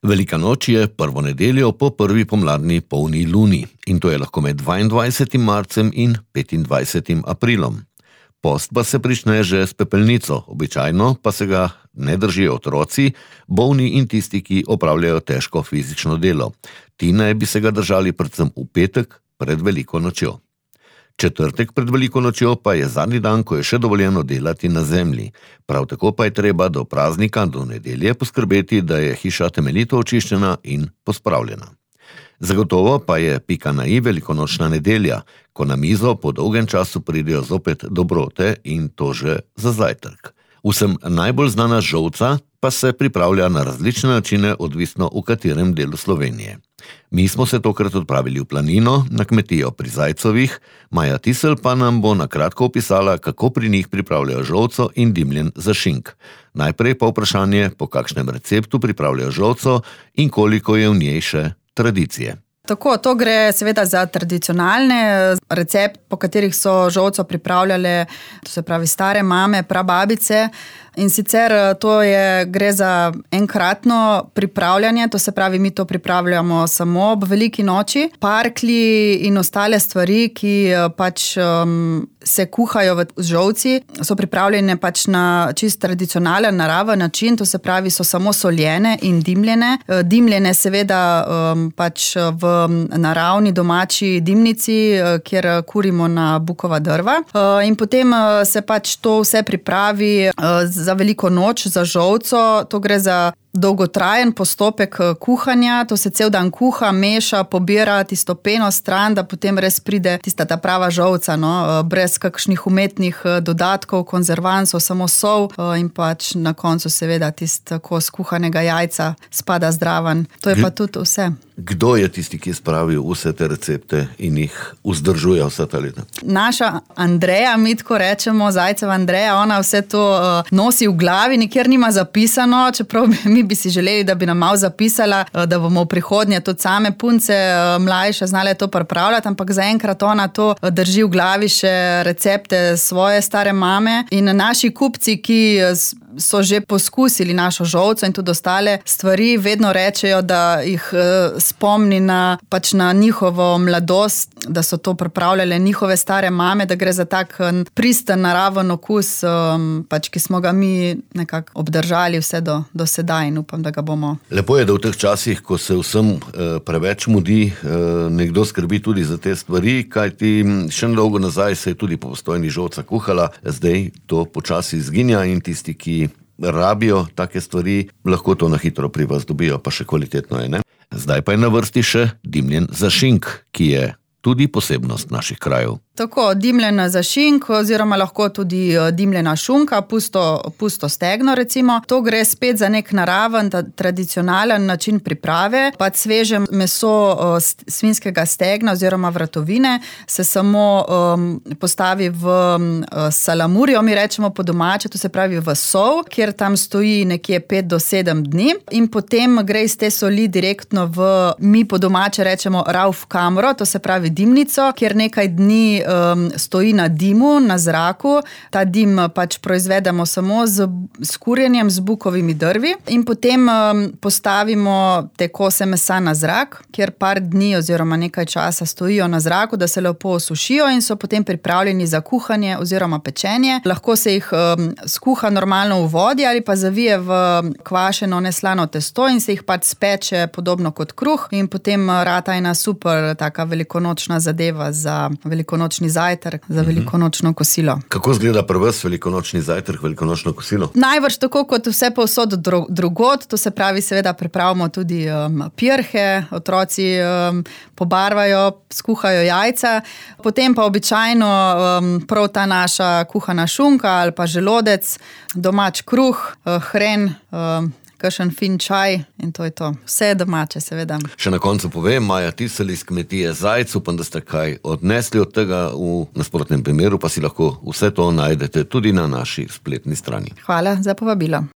Velika noč je prvo nedeljo po prvi pomladni polni luni in to je lahko med 22. marcem in 25. aprilom. Post pa se prične že s pepelnico, običajno pa se ga ne držijo otroci, bolni in tisti, ki opravljajo težko fizično delo. Ti naj bi se ga držali predvsem v petek pred veliko nočjo. Četrtek pred veliko nočjo pa je zadnji dan, ko je še dovoljeno delati na zemlji. Prav tako pa je treba do praznika, do nedelje poskrbeti, da je hiša temeljito očiščena in pospravljena. Zagotovo pa je pika na i velikonočna nedelja, ko na mizo po dolgem času pridejo zopet dobrote in to že za zajtrk. Vsem najbolj znana žolca pa se pripravlja na različne načine, odvisno v katerem delu Slovenije. Mi smo se tokrat odpravili v planino, na kmetijo pri Zajcovih, Maja Tisel pa nam bo na kratko opisala, kako pri njih pripravljajo žolco in dimljen za šink. Najprej pa vprašanje, po kakšnem receptu pripravljajo žolco in koliko je v njej še tradicije. Tako, to gre seveda za tradicionalne recept, po katerih so žolco pripravljale, to se pravi stare mame, prababice. In sicer gre za enkratno pripravljanje, to se pravi, mi to pripravljamo samo ob veliki noči. Parklji in ostale stvari, ki se kuhajo v žolci, so pripravljene na čist tradicionalen, naraven način, to se pravi, so samo soljene in dimljene. Dimljene seveda v naravni domači dimnici, kjer kurimo na bukova drva. In potem se to vse pripravi za veliko noč, za žolco. To gre za dolgotrajen postopek kuhanja, to se cel dan kuha, meša, pobira tisto peno stran, da potem res pride tista ta prava žolca, brez kakšnih umetnih dodatkov, konzervansov, samo sol in na koncu seveda tisto kos kuhanega jajca spada zdraven. To je pa tudi vse. Kdo je tisti, ki je spravil vse te recepte in jih vzdržuje vse ta leta? Naša Andreja, mi tako rečemo, Zajceva Andreja, ona vse to nosi v glavi, nikjer nima zapisano, čeprav mi bi si želeli, da bi nam malo zapisala, da bomo v prihodnje tudi same punce mlajše znale to pripravljati, ampak zaenkrat ona to drži v glavi še recepte svoje stare mame. In naši kupci, ki so že poskusili našo žolco in tudi ostale stvari, vedno rečejo, da jih spomni na njihovo mladost, da so to pripravljale njihove stare mame, da gre za tak pristen, naraven okus, ki smo ga mi nekako obdržali vse do sedaj in upam, da ga bomo. Lepo je, da v teh časih, ko se vsem preveč mudi, nekdo skrbi tudi za te stvari, kajti še dolgo nazaj se je tudi po Postojni žolca kuhala, zdaj to počasi izginja in tisti, ki rabijo take stvari, lahko to na hitro pri vas dobijo, pa še kvalitetno je, ne? Zdaj pa je na vrsti še dimljen za šink, ki je tudi posebnost naših krajev. Tako, dimljena za šink oziroma lahko tudi dimljena šunka, pusto stegno recimo. To gre spet za nek naraven, tradicionalen način priprave. Sveže meso svinjskega stegna oziroma vratovine se samo postavi v salamurijo, mi rečemo po domače, to se pravi v sol, kjer tam stoji nekje 5 do 7 dni in potem gre iz te soli direktno mi po domače rečemo rauf kamro, to se pravi dimnico, kjer nekaj dni stoji na dimu, na zraku. Ta dim proizvedemo samo s kurjenjem, z bukovimi drvi in potem postavimo te kose mesa na zrak, kjer par dni oziroma nekaj časa stojijo na zraku, da se lepo osušijo in so potem pripravljeni za kuhanje oziroma pečenje. Lahko se jih skuha normalno v vodi ali pa zavije v kvašeno neslano testo in se jih speče podobno kot kruh in potem rata ena super taka velikonočna zadeva za velikonočni zajtrk, za velikonočno kosilo. Kako izgleda pri vas velikonočni zajtrk, velikonočno kosilo? Najbrž tako kot vse povsod drugod, to se pravi seveda pripravimo tudi pirhe, otroci pobarvajo, skuhajo jajca, potem pa običajno prav ta naša kuhana šunka ali pa želodec, domač kruh, hren, kakšen fin čaj in to je to. Vse je domače, seveda. Še na koncu povem, Maja Tisel iz kmetije Zajc, upam, da ste kaj odnesli od tega, v nasprotnem primeru pa si lahko vse to najdete tudi na naši spletni strani. Hvala za povabilo.